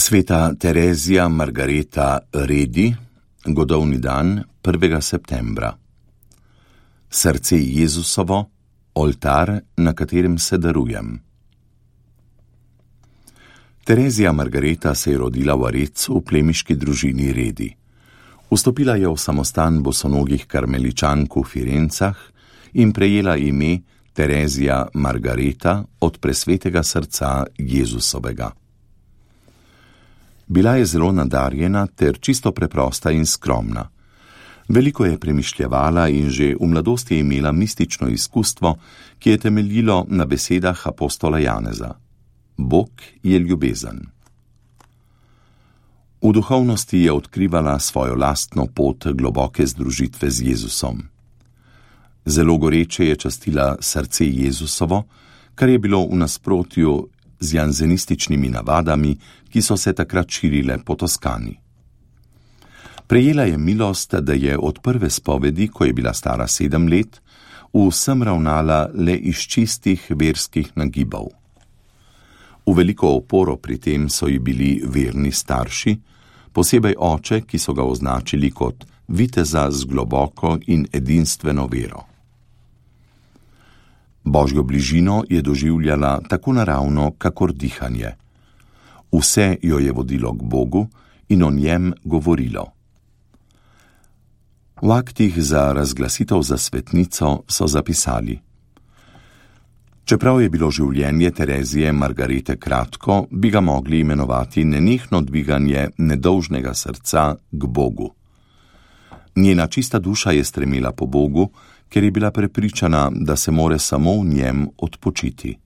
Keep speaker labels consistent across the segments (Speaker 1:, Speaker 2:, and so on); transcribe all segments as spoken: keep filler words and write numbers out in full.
Speaker 1: Sveta Terezija Margareta Redi, godovni dan prvega septembra. Srce Jezusovo, oltar, na katerem se darujem. Terezija Margareta se je rodila v Arezzu v plemiški družini Redi. Vstopila je v samostan bosonogih karmeličank v Firencah in prejela ime Terezija Margareta od presvetega srca Jezusovega. Bila je zelo nadarjena ter čisto preprosta in skromna. Veliko je premišljevala in že v mladosti je imela mistično izkustvo, ki je temeljilo na besedah apostola Janeza. Bog je ljubezen. V duhovnosti je odkrivala svojo lastno pot globoke združitve z Jezusom. Zelo goreče je častila srce Jezusovo, kar je bilo v nasprotju z janzenističnimi navadami, ki so se takrat širile po Toskani. Prejela je milost, da je od prve spovedi, ko je bila stara sedem let, vsem ravnala le iz čistih verskih nagibov. V veliko oporo pri tem so ji bili verni starši, posebej oče, ki so ga označili kot viteza z globoko in edinstveno vero. Božjo bližino je doživljala tako naravno, kakor dihanje. Vse jo je vodilo k Bogu in o njem govorilo. V aktih za razglasitev za svetnico so zapisali: Čeprav je bilo življenje Terezije Margarete kratko, bi ga mogli imenovati nenehno dviganje nedolžnega srca k Bogu. Njena čista duša je stremela po Bogu, ker je bila prepričana, da se more samo v njem odpočiti.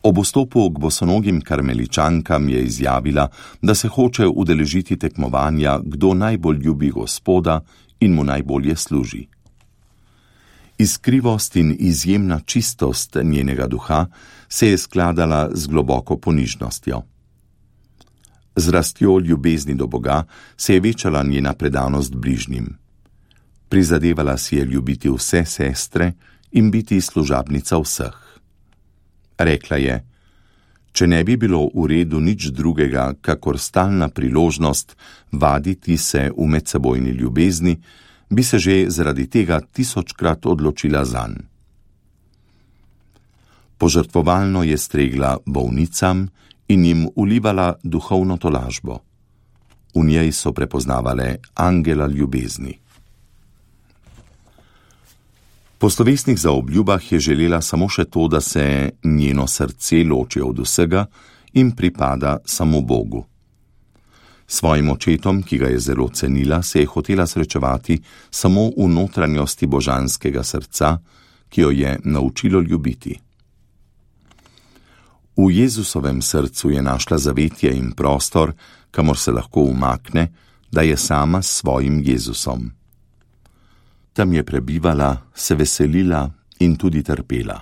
Speaker 1: Ob vstopu k bosonogim karmeličankam je izjavila, da se hoče udeležiti tekmovanja, kdo najbolj ljubi Gospoda in mu najbolje služi. Iskrivost in izjemna čistost njenega duha se je skladala z globoko ponižnostjo. Z rastjo ljubezni do Boga se je večala njena predanost bližnjim. Prizadevala si je ljubiti vse sestre in biti služabnica vseh. Rekla je: če ne bi bilo v redu nič drugega, kakor stalna priložnost vaditi se v medsebojni ljubezni, bi se že zaradi tega tisočkrat odločila zanj. Požrtvovalno je stregla bolnicam in jim ulivala duhovno tolažbo. V njej so prepoznavale angela ljubezni. Po slovesnih zaobljubah je želela samo še to, da se njeno srce loči od vsega in pripada samo Bogu. Svojim očetom, ki ga je zelo cenila, se je hotela srečevati samo v notranjosti božanskega srca, ki jo je naučilo ljubiti. V Jezusovem srcu je našla zavetje in prostor, kamor se lahko umakne, da je sama s svojim Jezusom. Tam je prebivala, se veselila in tudi trpela.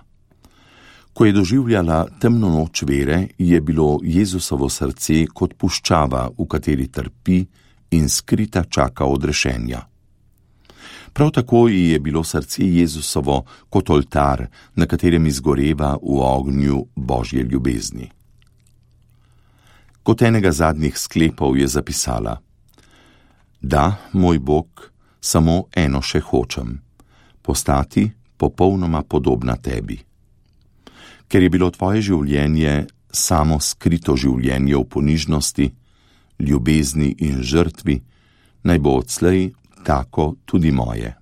Speaker 1: Ko je doživljala temno noč vere, je bilo Jezusovo srce kot puščava, v kateri trpi in skrita čaka odrešenja. Prav tako ji je bilo srce Jezusovo kot oltar, na katerem izgoreva v ognju Božje ljubezni. Kot enega zadnjih sklepov je zapisala: Da, moj Bog, samo eno še hočem, postati popolnoma podobna tebi. Ker je bilo tvoje življenje samo skrito življenje v ponižnosti, ljubezni in žrtvi, naj bo odslej tako tudi moje.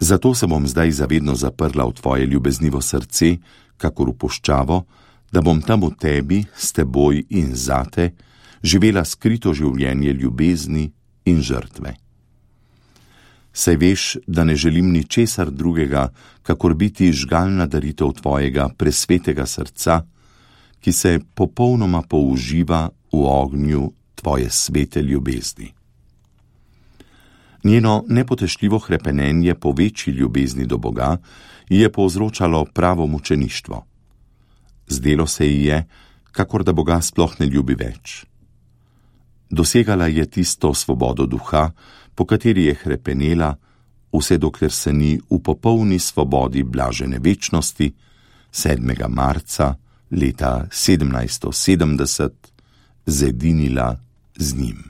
Speaker 1: Zato se bom zdaj zavedno zaprla v tvoje ljubeznivo srce, kakor v puščavo, da bom tam v tebi, s teboj in zate, živela skrito življenje ljubezni in žrtve. Saj veš, da ne želim ničesar drugega, kakor biti žgalna daritev tvojega presvetega srca, ki se popolnoma použiva v ognju tvoje svete ljubezni. Njeno nepotešljivo hrepenenje po večji ljubezni do Boga je povzročalo pravo mučeništvo. Zdelo se ji je, kakor da Boga sploh ne ljubi več. Dosegala je tisto svobodo duha, po kateri je hrepenela, vse dokler se ni v popolni svobodi blažene večnosti sedmega marca leta sedemnajststo sedemdeset zedinila z njim.